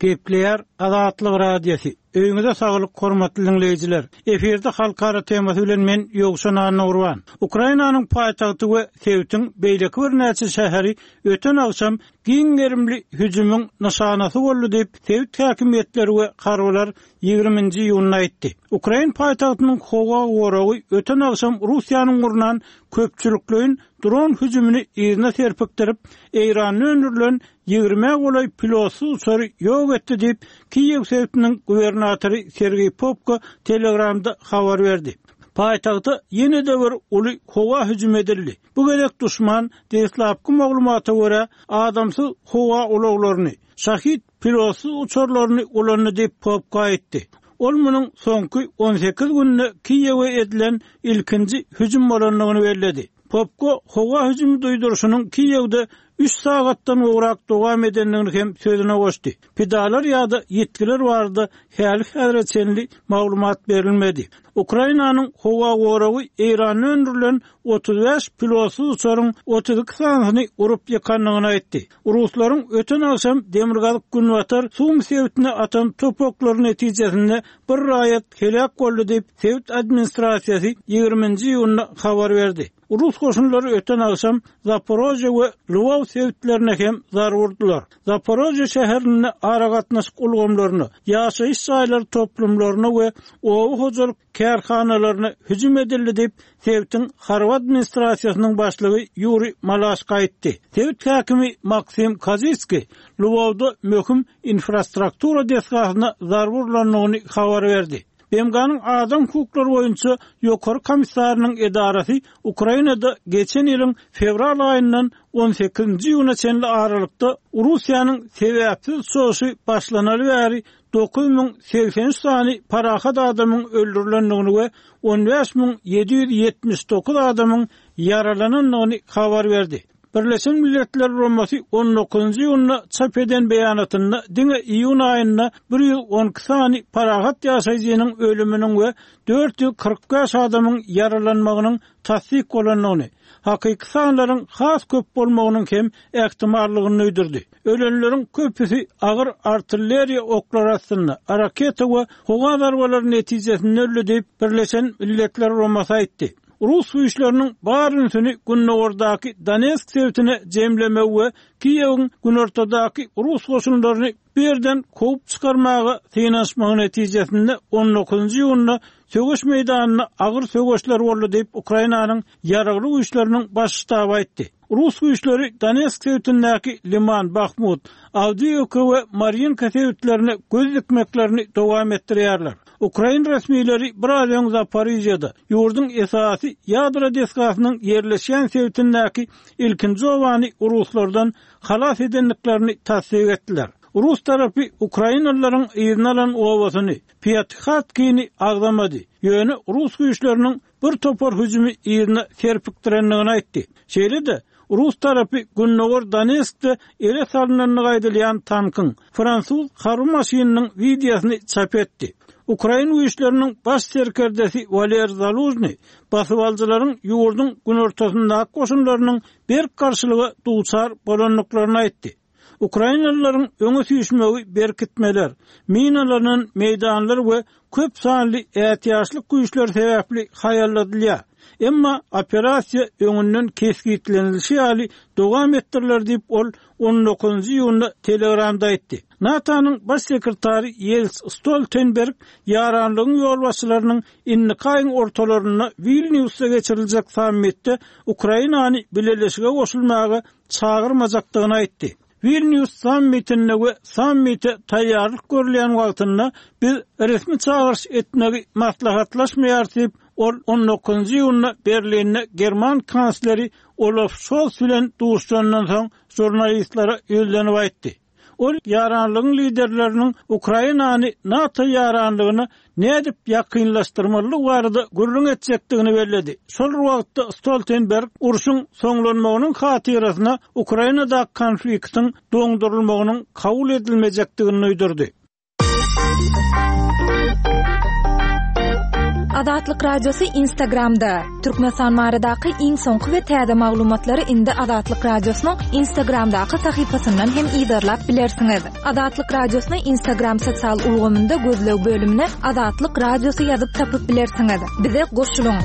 Gepleýär Azatlyk Radiosy. Öýüňize saglyk hormatly diňleýjiler. Efirde halkara temasy bilen men Ýowşan Annagurban. Ukrainanyň paýtagty we sebitiň beýleki birnäçe şäheri öten agşam giň gerimli hüjümiň nyşanasy boldy diýip, sebit häkimiýetleri we harbylar 20-nji iýunda aýtdy. Ukrain paýtagtynyň howa goragy öten agşam Russiýanyň gurnan köpçülikleýin dron hüjümini yzyna serpikdirip, Eýranda öndürilen ýigrimä golaý pilotsyz uçary ýok etdi diýip, Kiýew sebitiniň gubernatory Sergeý Popko Telegramda habar berdi. Paýtagta ýene-de bir uly howa hüjümi edildi. Bu gezek duşman, deslapky maglumata görä, adamsyz howa ulaglaryny, Şahid pilotsyz uçarlaryny ulandy diýip, Popko aýtdy. Ol munuň soňky 18 günde Kiýewe edilen ilkinji hüjüm bolandygyny belledi. Popko howa hüjümi duýduryşynyň Kiýewde üç sagatdan gowrak dowam edendigini hem sözüne goşdy. Pidalar ýa-da ýitgiler barada häli-häzire çenli maglumat berilmedi. Ukrainanyň howa goragy Eýranda öndürilen 35 pilotsyz uçaryň 32 sanysyny urup ýykandygyny aýtdy. Ruslaryň öten agşam demirgazyk-günbatar Sumi sebitine atan top oklary netijesinde bir raýat heläk boldy diýip, sebit administrasiýasy 20-nji iýunda habar berdi. Rus goşunlary öten agşam Zaporožýe we Lwow sebitlerine hem zarba urdular. Zaporožýe şäherinde aragatnaşyk ulgamlaryna, ýaşaýyş jaýlary toplumlaryna we oba hojalyk kärhanalaryna hüjüm edildi diýip, sebitiň harby administrasiýasynyň başlygy Ýuriý Malaşko aýtdy. Sebit häkimi Maksim Kozitskiý Lwowda möhüm infrastruktura desgasyna zarba urlandygyny habar berdi. BMG-niň Adam hukuklary boýunça Ýokary komissarynyň edarasy Ukrainada geçen ýylyň fewral aýyndan on sekizinji iýuna çenli aralykda Russiýanyň sebäpsiz çozuşy başlanaly bäri 9083 sany parahat adamyň öldürilendigini we 15779 adamyň ýaralanandygyny habar berdi. Birleşen Milletler Guramasy on dokuzynjy iýunda çap eden beýanatynda diňe iýun aýynda 112 sany parahat ýaşaýjynyň ölüminiň we 445 adamyň ýaralanmagynyň tassyk bolandygyny, hakyky sanlaryň has köp bolmagynyň hem ähtimallygyny duýdurdy. Ölenleriň köpüsi agyr artilleriýa oklary astynda, raketa we howa zarbalary netijesinde öldi diýip, Birleşen Milletler Guramasy aýtdy. Rus güýçleriniň bar ünsüni gündogardaky Donetsk sebitine jemlemegi we Kiýewiň günortadaky rus goşunlaryny bu ýerden kowup çykarmaga synanyşmagy netijesinde on dokuzynjy iýunda söweş meýdanynda agyr söweşler boldy diýip, Ukrainanyň Ýaragly Güýçleriniň Baş ştaby aýtdy. Rus güýçleri Donetsk sebitindäki Liman, Bahmut, Awdiýewka we Marýinka sebitlerine göz dikmeklerini dowam etdirýärler. Ukrain resmileri biraz öň Zaporižýada, ýurduň esasy ýadro desgasynyň ýerleşýän sebitindäki ilkinji obany ruslardan halas edendiklerini tassyk etdiler. Rus tarapy ukrainalylaryň yzyna alan obasyny, Pýatihatkini agzamady, ýöne rus güýçleriniň bir topar hüjümi yzyna serpikdirendigini aýtdy. Şeýle-de, rus tarapy gündogar Donetskde ele salnandygy aýdylýan tankyň, fransuz harby maşynynyň wideosyny çap etdi. Ukrain güýçleriniň baş serkerdesi Waler Zalužnyý basybalyjylaryň ýurduň günortasyndaky goşunlarynyň berk garşylyga duçar bolandyklaryny aýtdy. Ukrainalylaryň öňe süýşmegi berkitmeler, minalanan meýdanlar we köp sanly ätiýaçlyk güýçleri sebäpli haýalladylýar. Emma operasiýa öňünden kesgitlenilişi ýaly dowam etdiriler diýip, ol on dokuzynjy iýunda Telegramda aýtdy. NATO-nyň Baş sekretary Ýens Stoltenberg ýaranlygyň ýolbaşçylarynyň indiki aýyň ortalarynda Wilnýusda geçiriljek sammitde Ukrainany bileleşige goşulmaga çagyrmajakdygyny aýtdy. Wilnýus sammitinde we sammite taýýarlyk görülýän wagtynda biz resmi çagyryş etmegi maslahatlaşmaýarys diýip, ol on dokuzynjy iýunda Berlinde german kansleri Olaf Şols bilen duşuşandan soň žurnalistlere ýüzlenip aýtdy. Ol ýaranlygyň liderleriniň Ukrainany NATO ýaranlygyna nädip ýakynlaşdyrmalydygy barada gürrüň etjekdigini belledi. Şol bir wagtda Stoltenberg urşuň soňlanmagynyň hatyrasyna Ukrainadaky konfliktiň doňdurylmagynyň kabul edilmejekdigini duýdurdy. Azatlyk Radiosy Instagramda, Türkmenistan baradaky iň soňky we täze maglumatlary indi Azatlyk Radiosynyň Instagramdaky sahypasyndan hem yzarlap bilersiňiz. Azatlyk Radiosyny Instagram sosial ulgamynda gözleg bölümine Azatlyk Radiosy ýazyp tapyp bilersiňiz. Bize goşulyň!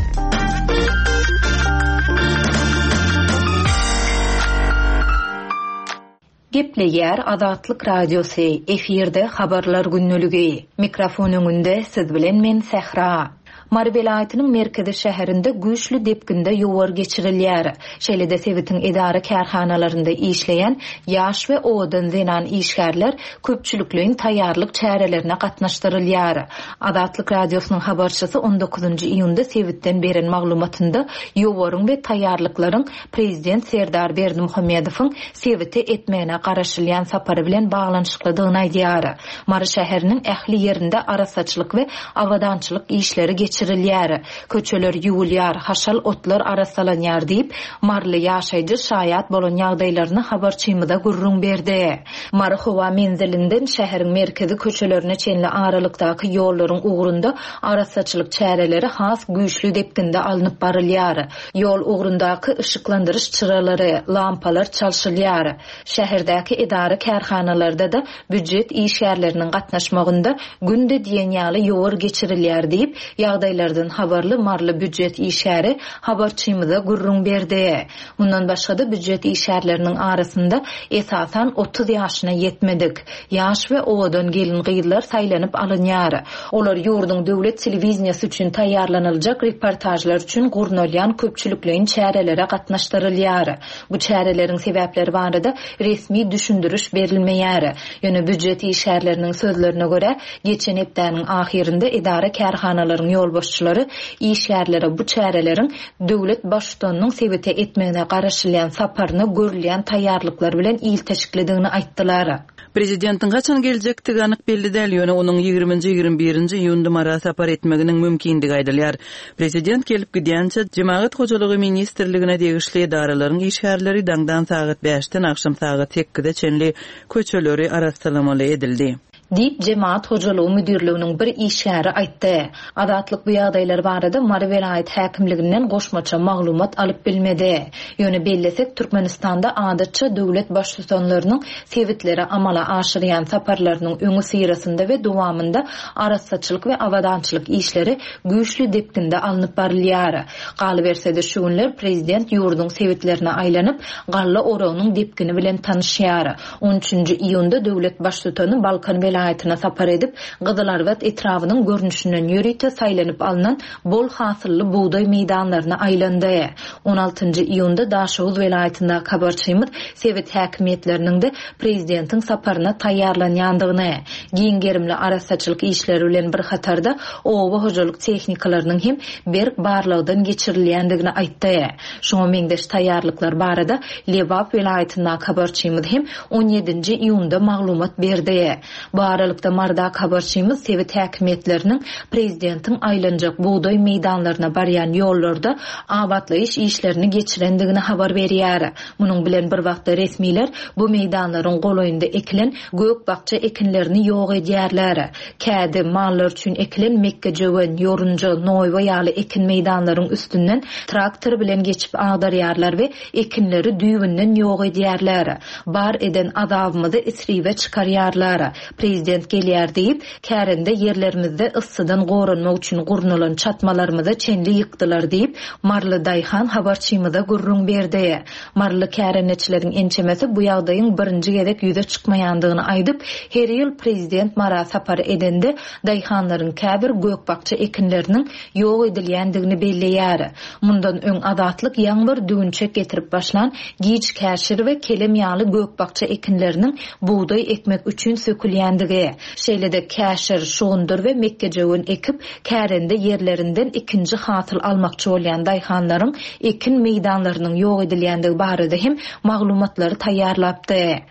Gepleýär Azatlyk Radiosy, efirde Habarlar gündeligi. Mikrofon öňünde siz bilen men Sähra. Mary welaýatynyň merkezi şäherinde güýçli depginde ýowar geçirilýär. Şeýle-de sebitiň edara-kärhanalarynda işleýän ýaş we owadan zenan işgärler köpçülikleýin taýýarlyk çärelerine gatnaşdyrylýar. Azatlyk Radiosynyň habarçysy on dokuzynjy iýunda sebitden beren maglumatynda ýowaryň we taýýarlyklaryň Prezident Serdar Berdimuhamedowyň sebite etmegine garaşylýan sapary bilen baglanyşyklydygyny aýdýar. Mary şäheriniň ähli ýerinde arassaçylyk we abadançylyk işleri geçirilýär. Köçeler ýuwulýar, haşal otlar arassalanýar diýip, maryly ýaşaýjy şaýat bolan ýagdaýlaryny habarçymyza gürrüň berdi. Mary howa menzilinden şäheriň merkezi köçelerine çenli aralykdaky ýollaryň ugrunda arassaçylyk çäreleri has güýçli depginde alnyp barylýar. Ýol ugrundaky yşyklandyryş çyralary, lampalar çalşylýar. Şäherdäki edara-kärhanalarda-da býujet işgärleriniň gatnaşmagynda günde diýen ýaly ýowar geçirilýär diýip, ýagdaýlardan habarly maryly býujet işgäri habarçymyza gürrüň berdi. Mundan başga-da býujet işgärleriniň arasynda esasan 30 ýaşyna ýetmedik, ýaş we owadan gelin-gyzlar saýlanyp alynýar. Olar ýurduň döwlet telewideniýesi üçin taýýarlanyljak reportažlar üçin gurnalýan köpçülikleýin çärelere gatnaşdyrylýar. Bu çäreleriň sebäpleri barada resmi düşündiriş berilmeýär. Ýöne býujet işgärleriniň sözlerine görä, geçen hepdäniň ahyrynda edara-kärhanalaryň ýolbaşçylary işgärlere bu çäreleriň döwlet Baştutanynyň sebite etmegine garaşylýan saparyna görülýän taýýarlyklar bilen ilteşiklidigini aýtdylar. Prezidentiň haçan geljekdigi anyk belli däl, ýöne onuň ýigriminji, 21 nji iýunda Mara sapar etmeginiň mümkindigi aýdylýar. Prezident gelip gidýänçä, Jemagat hojalygy ministrligine degişli edaralaryň işgärleri daňdan sagat bäşden agşam sagat sekize çenli köçeleri arassalamaly edildi. Diýip, Jemagat hojalygy müdirliginiň bir işgäri aýtdy. Azatlyk bu ýagdaýlar barada Mary welaýat häkimliginden goşmaça maglumat alyp bilmedi. Ýöne bellesek, Türkmenistanda adatça döwlet baştutanlarynyň sebitlere amala aşyrýan saparlarynyň öňüsyrasynda we dowamynda arassaçylyk we abadançylyk işleri güýçli depginde alnyp barylýar. Galyberse-de, şu günler prezident ýurduň sebitlerine aýlanyp, galla oragynyň depgini bilen tanyşýar. On üçünji iýunda döwlet Baştutany Balkan welaýatyna sapar edip, Gyzylarbat etrabynyň görnüşinden ýörite saýlanyp alnan bol hasylly bugdaý meýdanlaryna aýlandy. On altynjy iýunda Daşoguz welaýatyndaky habarçymyz sebit häkimiýetleriniň-de prezidentiň saparyna taýýarlanýandygyny, giň gerimli arassaçylyk işleri bilen bir hatarda oba hojalyk tehnikalarynyň hem berk barlagdan geçirilýändigini aýtdy. Şuňa meňzeş taýýarlyklar barada Lebap welaýatyndaky habarçymyz hem on ýedinji iýunda maglumat berdi. Bu aralykda Marydaky habarçymyz sebit häkimiýetleriniň prezidentiň aýlanjak bugdaý meýdanlaryna barýan ýollarda abatlaýyş işlerini geçirendigini habar berýär. Munuň bilen bir wagtda resmiler bu meýdanlaryň golaýynda ekilen gök-bakja ekinlerini ýok edýärler. Kädi, mallar üçin ekilen mekgejöwen, ýorunja, noýba ýaly ekin meýdanlaryň üstünden traktor bilen geçip agdarýarlar we ekinleri düýbünden ýok edýärler. Bar eden azabymyzy isribe çykarýarlar. Prezident gelýär diýip, kärende ýerlerimizde yssydan goranmak üçin gurnalan çatmalarymyza çenli ýykdylar diýip, maryly daýhan habarçymyza gürrüň berdi. Maryly kärendeçileriň ençemesi bu ýagdaýyň birinji gezek ýüze çykmaýandygyny aýdyp, her ýyl prezident Mara sapar edende daýhanlaryň käbir gök-bakja ekinleriniň ýok edilýändigini belleýär. Mundan öň Azatlyk ýaňy bir düwünçek getirip başlan giç käşir we kelem ýaly gök-bakja ekinleriniň bugdaý ekmek üçin sökülýändigi, şeýle-de käşir, şugundyr we mekgejöwen ekip, kärende ýerlerinden ikinji hasyl almakçy bolýan daýhanlaryň ekin meýdanlarynyň ýok edilýändigi barada hem maglumatlary taýýarlapdy.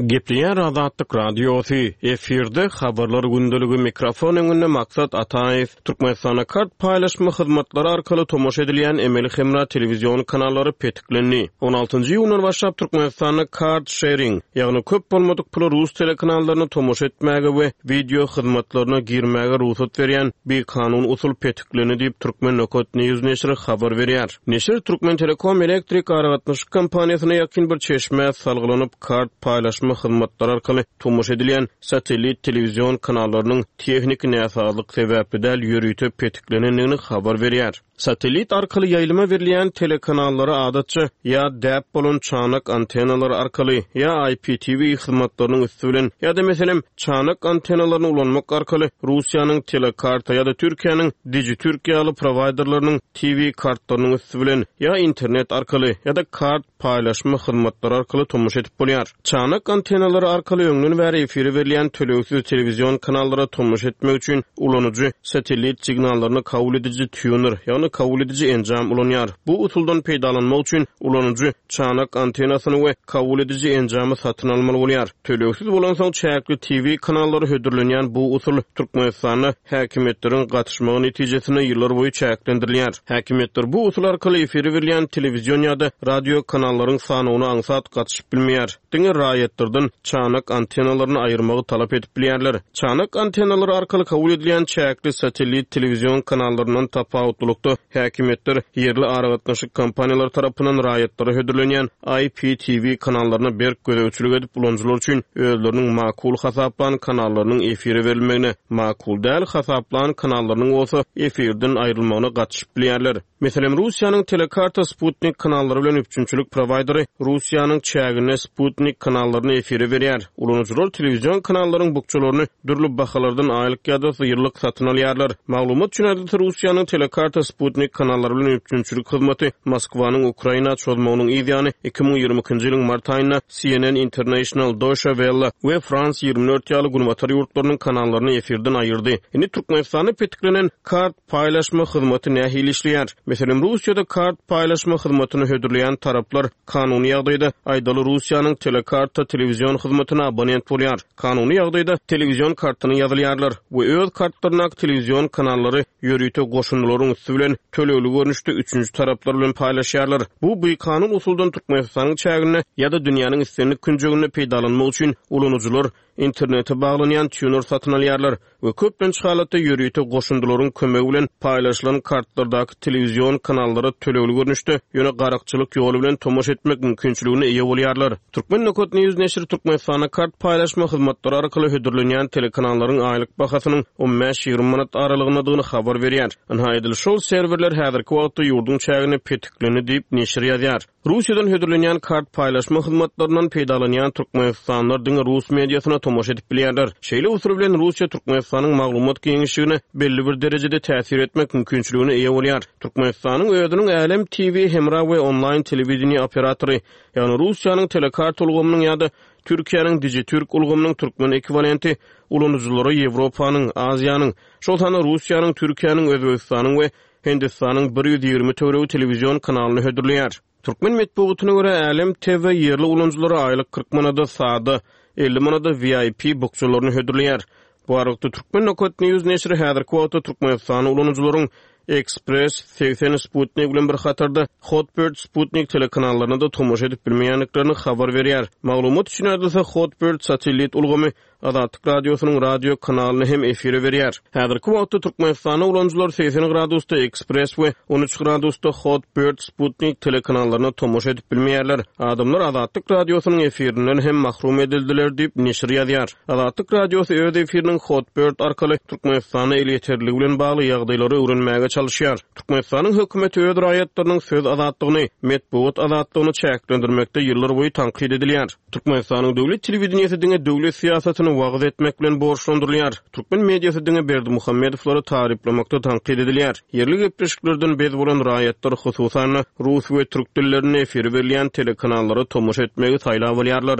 Gepleýär Azatlyk Radiosy, efirde Habarlar gündeligi, mikrofon öňünde Maksat Ataýew. Türkmenistanda kart paýlaşma hyzmatlary arkaly tomaşa edilýän emeli hemra telewizion kanallary petiklendi. On altynjy iýundan başlap Türkmenistanda kart şering, ýagny köp bolmadyk pula rus telekanallarynda tomaşa etmäge we wideo hyzmatlaryna girmäge rugsat berýän bikanun usul petiklendi diýip, Turkmen. News neşiri habar berýär. Neşir Türkmentelekom elektrik aragatnaşyk kompaniýasyna ýakyn bir çeşmä salgylanyp, kart paýlaşma hyzmatlary arkaly tomaşa edilýän satellit telewizion kanallarynyň tehniki näsazlyk sebäpli däl, ýörite petiklenendigini habar berýär. Satellit arkaly ýaýlyma berilýän telekanallara adatça ýa däp bolan çanak antennalary arkaly, ýa IPTV hyzmatlarynyň üsti bilen, ýa-da, meselem, çanak antennalaryny ulanmak arkaly Russiýanyň Telekarta ýa-da Türkiýäniň Dijitürk ýaly prowaýderleriniň TV kartlarynyň üsti bilen, ýa internet arkaly, ýa-da kart paýlaşma hyzmatlary arkaly tomaşa edip bolýar. Çanak antennalary arkaly öňden bäri efire berilýän tölegsiz telewizion kanallara tomaşa etmek üçin ulanyjy satellit signallaryny kabul ediji týuner, ýagny kabul ediji enjam ulanýar. Bu usuldan peýdalanmak üçin ulanyjy çanak antennasyny we kabul ediji enjamy satyn almaly bolýar. Tölegsiz bolansoň çäkli TV kanallary hödürlenýän bu usul Türkmenistanda häkimiýetleriň gatyşmagy netijesinde ýyllar boýy çäklendirilýär. Häkimiýetler bu usul arkaly efire berilýän telewizion ýa-da radio kanallaryň sanawyna aňsat gatyşyp bilmeýär. Diňe raýatlardan çanak antennalaryny aýyrmagy talap edip bilýärler. Çanak antennalary arkaly kabul edilýän çäkli satellit telewizion kanallaryndan tapawutlylykda, häkimiýetler ýerli aragatnaşyk kompaniýalary tarapyndan raýatlara hödürlenýän IPTV kanallaryna berk gözegçilik edip, ulanyjylar üçin özleriniň makul hasaplan kanallarynyň efire berilmegine, makul däl hasaplan kanallarynyň bolsa efirden aýrylmagyna gatyşyp bilýärler. Meselem, Russiýanyň Telekarta sputnik kanallary bilen üpjünçilik prowaýderi Russiýanyň çäginde sputnik kanallaryny efire berýär. Ulanyjylar telewizion kanallaryň bukjalaryny dürli bahalardan aýlyk ýa-da ýyllyk satyn alýarlar. Maglumat üçin aýdylsa, Russiýanyň Telekarta sputnik kanallary bilen üpjünçilik hyzmaty Moskwanyň Ukraina çozmagynyň yz ýany 2022-nji ýylyň mart aýynda CNN International, Deutsche Welle we France 24 ýaly günbatar ýurtlarynyň kanallaryny efirden aýyrdy. Indi Türkmenistanda petiklenen kart paýlaşma hyzmaty nähili işleýär? Meselem, Russiýada kart paýlaşma hyzmatyny hödürleýän taraplar kanuny ýagdaýda, aýdaly, Russiýanyň Telekarta telewizion hyzmatyna abonent bolýar. Kanuny ýagdaýda telewizion kartyna ýazylýarlar we öz kartlaryndaky telewizion kanallary ýörite goşundylaryň üsti bilen tölegli görnüşde üçünji taraplar bilen paýlaşýarlar. Bu bikanun usuldan Türkmenistanyň çäginde ýa-da dünýäniň islendik künjeginde peýdalanmak üçin ulanyjylar internete baglanýan týuner satyn alýarlar we köplenç halatda ýörite goşundylaryň kömegi bilen paýlaşylan kartlardaky telewizion kanallara tölegli görnüşde, ýöne garakçylyk ýoly bilen tomaşa etmek mümkinçiligine eýe bolýarlar. Turkmen. News neşiri Türkmenistanda kart paýlaşma hyzmatlary arkaly hödürlenýän telekanallaryň aýlyk bahasynyň on bäş-ýigrimi manat aralygyndadygyny habar berýär. Ynha, edil şol serwerler häzirki wagtda ýurduň çäginde petiklendi diýip, neşir ýazýar. Russiýadan hödürlenýän kart paýlaşma hyzmatlaryndan peýdalanýan türkmenistanlylar diňe rus mediasyna tomaşa edip bilýärler. Şeýle usul bilen Russiýa Türkmenistanyň maglumat giňişligine belli bir derejede täsir etmek mümkinçiligine eýe bolýar. Türkmenistanyň özüniň Älem TV hemra we onlaýn telewideniýe operatory, ýagny Russiýanyň Telekarta ulgamynyň ýa-da Türkiýäniň Dijitürk ulgamynyň türkmen ekwiwalenti ulanyjylara Ýewropanyň, Aziýanyň, şol sanda Russiýanyň, Türkiýäniň, Özbegistanyň we Hindistanyň 120 töweregi telewizion kanalyny hödürleýär. Türkmen metbugatyna görä, Älem TV ýerli ulanyjylara aýlyk 40 manada sada, 50 manada VIP bukjalaryny hödürleýär. Bu aralykda, Turkmen. News neşiri häzirki wagtda türkmenistanly ulanyjylaryň Express, 80 Sputnik bilen bir hatarda Hotbird Sputnik telekanallaryna-da tomaşa edip bilmeýändiklerini habar berýär. Maglumat üçin aýdylsa, Hotbird satellit ulgamy Azatlyk Radiosynyň radio kanalyny hem efire berýär. Häzirki wagtda Türkmenistanda ulanyjylar 80 gradusda Express we 13 gradusda Hot Bird Sputnik telekanallaryna tomaşa edip bilmeýärler. Adamlar Azatlyk Radiosynyň efirinden hem mahrum edildiler diýip, neşir ýazýar. Azatlyk Radiosy öz efiriniň Hot Bird arkaly Türkmenistanda elýeterliligi bilen bagly ýagdaýlary öwrenmäge çalyşýar. Türkmenistanyň hökümeti öz raýatlarynyň söz azatlygyny, metbugat azatlygyny çäklendirmekde ýyllarboýy tankyt edilýär. Türkmenistanyň döwlet telewideniýesi diňe döwlet syýasatyny wagyz etmek bilen borçlandyrylýar. Türkmen mediasy diňe Berdimuhamedowlary taryplamakda tankyt edilýär. Ýerli gepleşiklerden bez bolan raýatlar, hususan-da, rus we türk dillerinde efire berilýän telekanallara tomaşa etmegi saýlap alýarlar.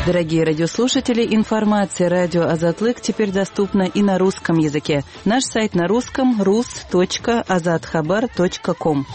Дорогие радиослушатели, информация радио Азатлык теперь доступна и на русском языке. Наш сайт на русском rus.azathabar.com.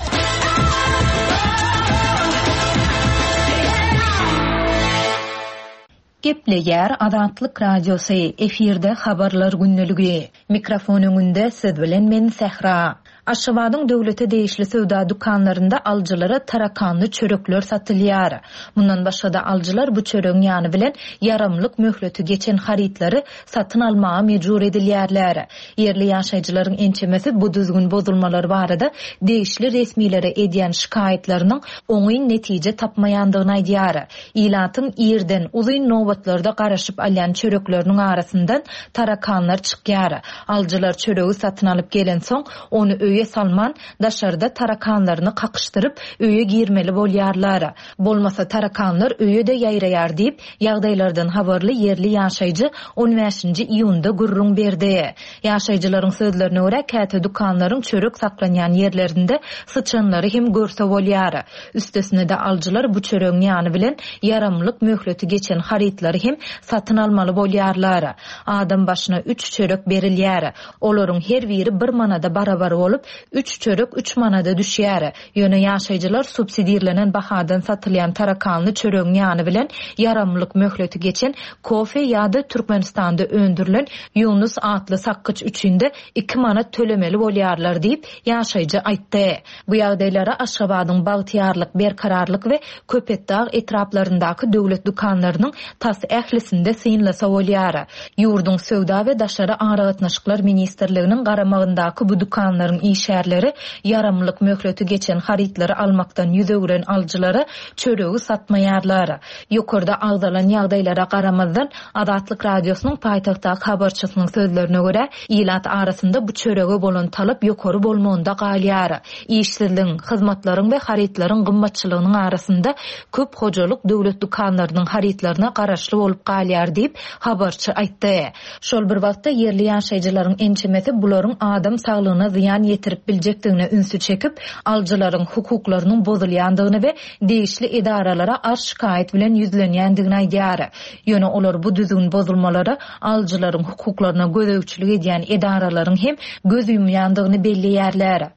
Gepleýär Azatlyk Radiosy, efirde Habarlar gündeligi. Mikrofon öňünde siz bilen men Sähra. Aşgabadyň döwlete degişli söwda dükanlarynda alyjylara tarakanly çörekler satylýar. Mundan başga-da alyjylar bu çöregiň ýany bilen ýaramlyk möhleti geçen harytlary satyn almaga mejbur edilýärler. Ýerli ýaşaýjylaryň ençemesi bu düzgün bozulmalar barada degişli resmilere edýän şikaýatlarynyň oňyn netije tapmaýandygyny aýdýar. Ilatyň irden uzyn nobatlarda garaşyp alýan çörekleriniň arasyndan tarakanlar çykýar. Alyjylar çöregi satyn alyp gelensoň, ony öýe salman, daşarda tarakanlaryny kakyşdyryp, öýe girmeli bolýarlar. Bolmasa tarakanlar öýe-de ýaýraýar diýip, ýagdaýlardan habarly ýerli ýaşaýjy on bäşinji iýunda gürrüň berdi. Ýaşaýjylaryň sözlerine görä, käte dükanlaryň çörek saklanýan ýerlerinde syçanlary hem görse bolýar. Üstesine-de alyjylar bu çöregiň ýany bilen ýaramlyk möhleti geçen harytlary hem satyn almaly bolýarlar. Adam başyna üç çörek berilýär. Olaryň her biri bir manada barabar bolup, üç çörek üç manada düşýär. Ýöne ýaşaýjylar subsidirlenen bahadan satylýan tarakanly çöregiň ýany bilen ýaramlyk möhleti geçen kofe ýa-da Türkmenistanda öndürilen Ýunus atly sakgyç üçin-de iki manat tölemeli bolýarlar diýip, ýaşaýjy aýtdy. Bu ýagdaýlara Aşgabadyň Bagtyýarlyk, Berkararlyk we Köpetdag etraplaryndaky döwlet dükanlarynyň tas ählisinde synlasa bolýar. Ýurduň Söwda we daşary aragatnaşyklar ministrliginiň garamagyndaky bu dükanlaryň işgärleri ýaramlyk möhleti geçen harytlary almakdan ýüz öwren alyjylara çöregi satmaýarlar. Ýokarda agzalan ýagdaýlara garamazdan, Azatlyk Radiosynyň paýtagtdaky habarçysynyň sözlerine görä, ilat arasynda bu çörege bolan talap ýokary bolmagynda galýar. Işsizligiň, hyzmatlaryň we harytlaryň gymmatçylygynyň arasynda köp hojalyk döwlet dükanlarynyň harytlaryna garaşly bolup galýar diýip, habarçy aýtdy. Şol bir wagtda, ýerli ýaşaýjylaryň ençemesi bularyň adam saglygyna zyýan ýetirip biljekdigine ünsi çekip, alyjylaryň hukuklarynyň bozulýandygyny we degişli edaralara arz-şikaýat bilen ýüzlenýändigini aýdýar. Ýöne olar bu düzgün bozulmalara alyjylaryň hukuklaryna gözegçilik edýän edaralaryň hem göz ýumýandygyny belleýärler.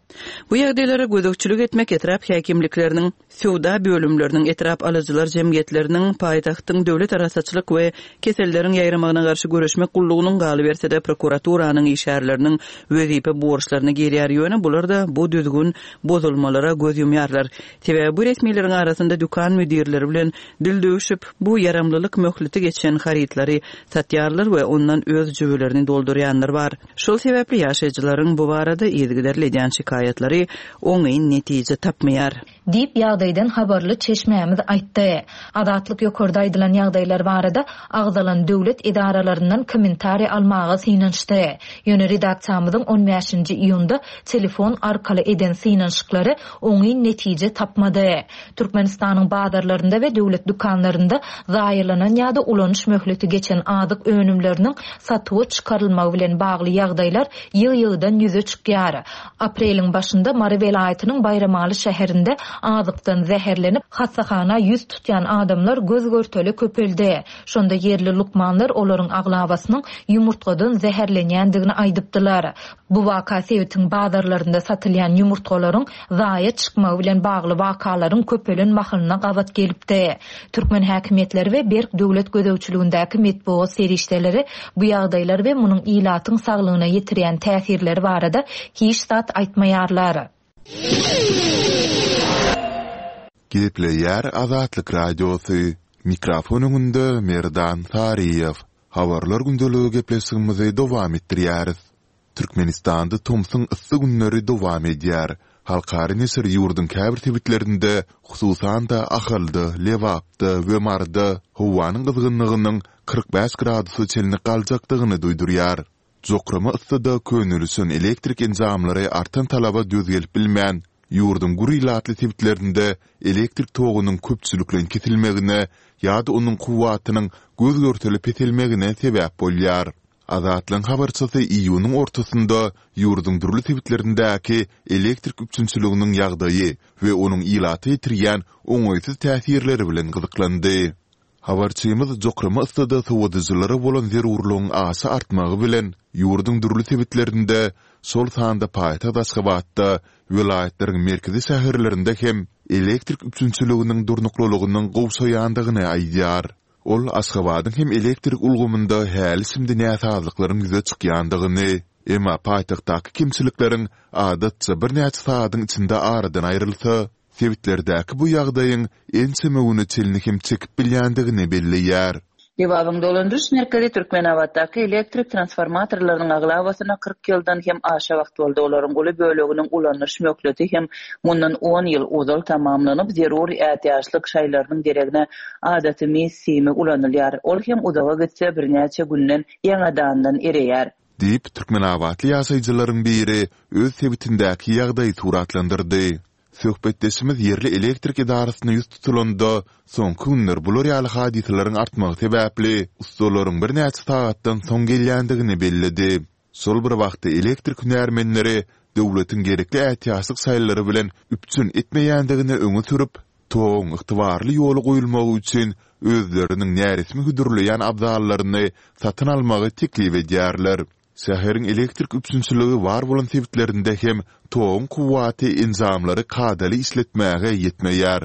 Bu ýagdaýlara gözegçilik etmek etrap häkimlikleriniň, söwda bölümleriniň, etrap alyjylar jemgyýetleriniň, paýtagtyň döwlet arassaçylyk we keselleriň ýaýramagyna garşy göreşmek gullugynyň, galyberse-de prokuraturanyň işgärleriniň wezipe borçlaryna girýär. Ýöne bular-da bu düzgün bozulmalara göz ýumýarlar. Sebäbi bu resmileriň arasynda dükan müdirleri bilen dil döwşüp, bu ýaramlylyk möhleti geçen harytlary satýarlar we ondan öz jübülerini doldurýanlar bar. Şol sebäpli ýaşaýjylaryň bu barada yzygiderli edýän şikaýatlary oňyn netije tapmaýar. Diýip, ýagdaýdan habarly çeşmämiz aýtdy. Azatlyk ýokarda aýdylan ýagdaýlar barada agzalan döwlet edaralaryndan kommentariý almaga synanyşdy. Ýöne redaksiýamyzyň on bäşinji iýunda telefon arkaly eden synanyşyklary oňyn netije tapmady. Türkmenistanyň bazarlarynda we döwlet dükanlarynda zaýalanan ýa-da ulanyş möhleti geçen azyk önümleriniň satuwa çykarylmagy bilen bagly ýagdaýlar ýygy-ýygydan ýüze çykýar. Apreliň başynda Mary welaýatynyň Baýramaly şäherinde azykdan zäherlenip, hassahana ýüz tutýan adamlar göz-görtele köpeldi. Şonda ýerli lukmanlar olaryň aglabasynyň ýumurtgadan zäherlenýändigini aýdypdylar. Bu waka sebitiň bazarlarynda satylýan ýumurtgalaryň zaýa çykmagy bilen bagly wakalaryň köpelen mahalyna gabat gelipdi. Türkmen häkimiýetleri we berk döwlet gözegçiligindäki metbugat serişdeleri bu ýagdaýlar we munuň ilatyň saglygyna ýetirýän täsirleri barada hiç zat aýtmaýarlar. Gepleýär Azatlyk Radiosy, Mikrofon öňünde Merdan Saryýew. Habarlar gündeligi gepleşigimizi dowam etdirýäris. Türkmenistanda tomsuň yssy günleri dowam edýär. Halkara neşir ýurduň käbir sebitlerinde, hususan-da, Ahalda, Lebapda we Maryda howanyň gyzgynlygynyň 45 gradusa çenli galjakdygyny duýdurýar. Jokrama yssyda könelişen elektrik enjamlary artan talaba döz gelip bilmän, ýurduň gür ilatly sebitlerinde elektrik togunyň köpçülikleýin kesilmegine ýa-da onuň kuwwatynyň göz-görtele peselmegine sebäp bolýar. Azatlygyň habarçysy iýunyň ortasynda ýurduň dürli sebitlerindäki elektrik üpjünçiliginiň ýagdaýy we onuň ilata ýetirýän oňaýsyz täsirleri bilen gyzyklandy. Habarçymyz jokrama yssyda sowadyjylara bolan zerurlygyň aşa artmagy bilen, ýurduň dürli sebitlerinde, şol sanda paýtagt Aşgabatda, welaýatlaryň merkezi şäherlerinde hem elektrik üpjünçiliginiň durnuklylygynyň gowşaýandygyny aýdýar. Ol Aşgabadyň hem elektrik ulgamynda häli-şindi näsazlyklaryň ýüze çykýandygyny, emma paýtagtdaky kemçilikleriň adatça birnäçe sagadyň içinde aradan aýrylsa, sebitlerdäki bu ýagdaýyň ençeme güne çenli hem çekip bilýändigini belleýär. Lebabyň dolandyryş merkezi Türkmenabatdaky elektrik transformatorlarynyň aglabasyna 40 ýyldan hem aşa wagt boldy, olaryň uly böleginiň ulanyş möhleti hem mundan on ýyl ozal tamamlanyp, zerur ätiýaçlyk şaýlarynyň deregine adaty mis simi ulanylýar, ol hem uzaga gitse birnäçe günden ýaňadandan ereýär. Diýip, türkmenabatly ýaşaýjylaryň biri öz sebitindäki ýagdaýy suratlandyrdy. Söhbetdeşimiz ýerli elektrik edarasyna ýüz tutulanda, soňky günler bular ýaly hadysalaryň artmagy sebäpli, ussalaryň birnäçe sagatdan soň gelýändigini belledi. Şol bir wagtda elektrik hünärmenleri döwletiň gerekli ätiýaçlyk şaýlary bilen üpjün etmeýändigini öňe sürüp, toguň ygtybarly ýola goýulmagy üçin özleriniň näresmi hödürleýän abzallaryny satyn almagy teklip edýärler. Şäheriň elektrik üpjünçiligi bar bolan sebitlerinde hem toguň kuwwaty enjamlary kadaly işletmäge ýetmeýär.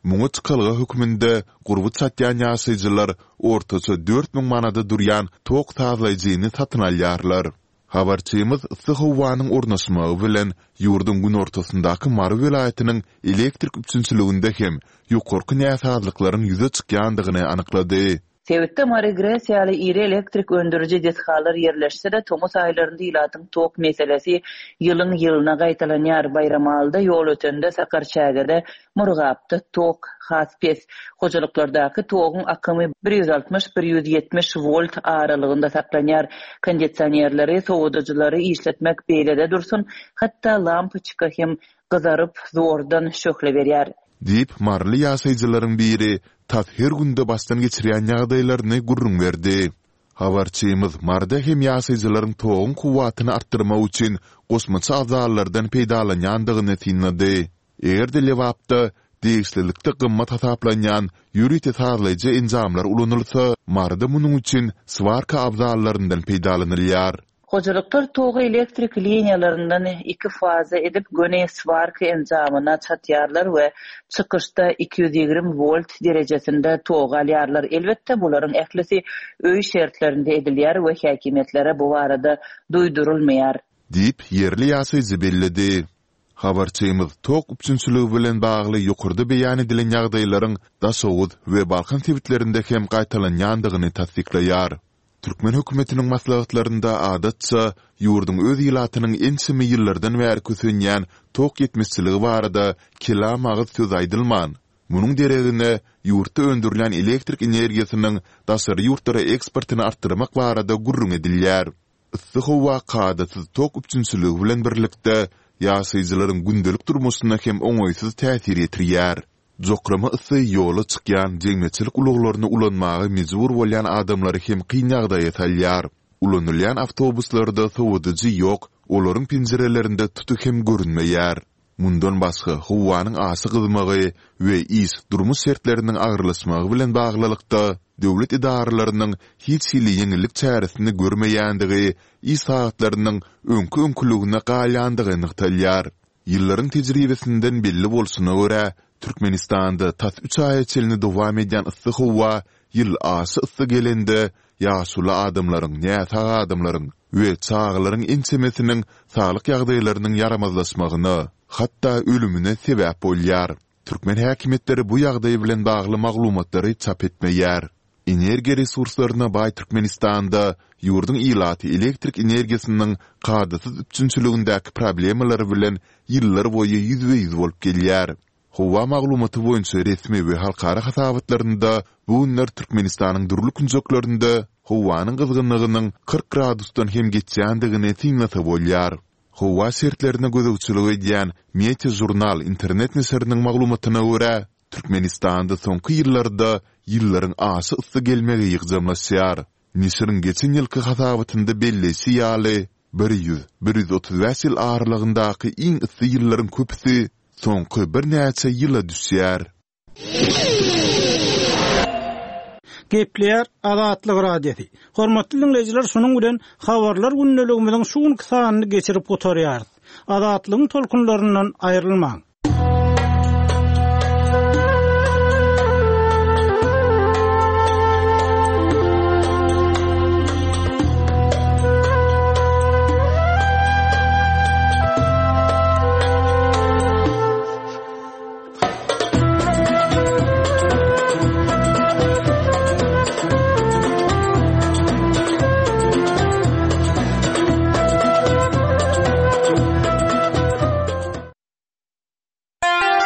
Muňa çykalga hökmünde gurby çatýan ýaşaýjylar ortaça 4000 manada durýan tok sazlaýjyny satyn alýarlar. Habarçymyz yssy howanyň ornaşmagy bilen ýurduň günortasyndaky Mary welaýatynyň elektrik üpjünçiliginde hem ýokarky näsazlyklaryň ýüze çykýandygyny anyklady. Sebitde Mary GRES ýaly iri elektrik öndüriji desgalar ýerleşse-de, tomus aýlarynda ilatyň tok meselesi ýylyň-ýylyna gaýtalanýar. Baýramalyda, Ýolötende, Sakarçägede, Murgapda tok has pes. Hojalyklardaky toguň akymy 160, 170 wolt aralygynda saklanýar. Kondisionerleri, sowadyjylary işletmek beýle-de dursun, hatda lampoçka hem gyzaryp, zordan şöhle berýär. Diýip, maryly ýaşaýjylaryň biri tas her günde başdan geçirýän ýagdaýlaryny gürrüň berdi. Habarçymyz Maryda hem ýaşaýjylaryň toguň kuwwatyny artdyrmak üçin goşmaça abzallardan peýdalanýandygyny synlady. Eger-de Lebapda degişlilikde gymmat hasaplanýan ýörite sazlaýjy enjamlar ulanylsa, Maryda munuň üçin swarka abzallaryndan peýdalanylýar. Hojalyklar togy elektrik liniýalaryndan iki faza edip göni swarka enjamyna çatýarlar we çykyşda 220 wolt derejesinde togy alýarlar. Elbetde, bularyň ählisi öý şertlerinde edilýär we häkimiýetlere bu barada duýdurylmaýar. Diýip, ýerli ýaşaýjy belledi. Habarçymyz tok üpjünçiligi bilen bagly ýokarda beýan edilen ýagdaýlaryň Daşoguz we Balkan sebitlerinde hem gaýtalanýandygyny tassyklaýar. Türkmen hökümetiniň maslahatlarynda adatça ýurduň öz ilatynyň ençeme ýyllardan bäri kösenýän tok ýetmezçiligi barada kelam agyz söz aýdylman, munuň deregine ýurtda öndürilýän elektrik energiýasynyň daşary ýurtlara eksportyny artdyrmak barada gürrüň edilýär. Yssy howa kadasyz tok üpjünçiligi bilen birlikde, ýaşaýjylaryň gündelik durmuşyna hem oňaýsyz täsir ýetirýär. Jokrama ysy ýola çykýan jemgyýetçilik ulaglaryny ulanmaga mejbur bolýan adamlary hem kyn ýagdaýa salýar. Ulanylýan awtobuslarda sowadyjy ýok, olaryň penjirelerinde tuty hem görünmeýär. Mundan başga, howanyň aşa gyzmagy we iş, durmuş şertleriniň agyrlaşmagy bilen baglylykda, döwlet edaralarynyň hiç hili ýeňillik çäresini görmeýändigi, iş sagatlarynyň öňki-öňküligine galýandygy nygtalýar. Ýyllaryň tejribesinden belli bolşuna görä, Türkmenistanda tas üç aýa çenli dowam edýän yssy howa ýyl aşa yssy gelende ýaşuly adamlaryň, näsag adamlaryň we çagalaryň ençemesiniň saglyk ýagdaýlarynyň ýaramazlaşmagyna, hatda ölümine sebäp bolýar. Türkmen häkimiýetleri bu ýagdaý bilen bagly maglumatlary çap etmeýär. Energiýa resurslaryna baý Türkmenistanda ýurduň ilaty elektrik energiýasynyň kadasyz üpjünçiligindäki problemalar bilen ýyllar boýy ýüzbe-ýüz bolup gelýär. Howa maglumaty boýunça resmi we halkara hasabatlarynda bu günler Türkmenistanyň dürli künjeklerinde howanyň gyzgynlygynyň 40 gradusdan hem geçýändigini synlasa bolýar. Howa şertlerine gözegçilik edýän Meteožurnal internet neşiriniň maglumatyna görä, Türkmenistanda soňky ýyllarda ýyllaryň aşa yssy gelmegi ýygjamlaşýar. Neşiriň geçen ýylky hasabatynda belleýşi ýaly, 100, 135 ýyl aralygyndaky iň yssy ýyllaryň köpüsi soňky birnäçe ýyla düşýär. Gepleýär Azatlyk Radiosy. Hormatly diňleýjiler, şunuň bilen Habarlar gündeligimiziň şu günki sanyny geçirip gutarýarys. Azatlygyň tolkunlaryndan aýrylmaň!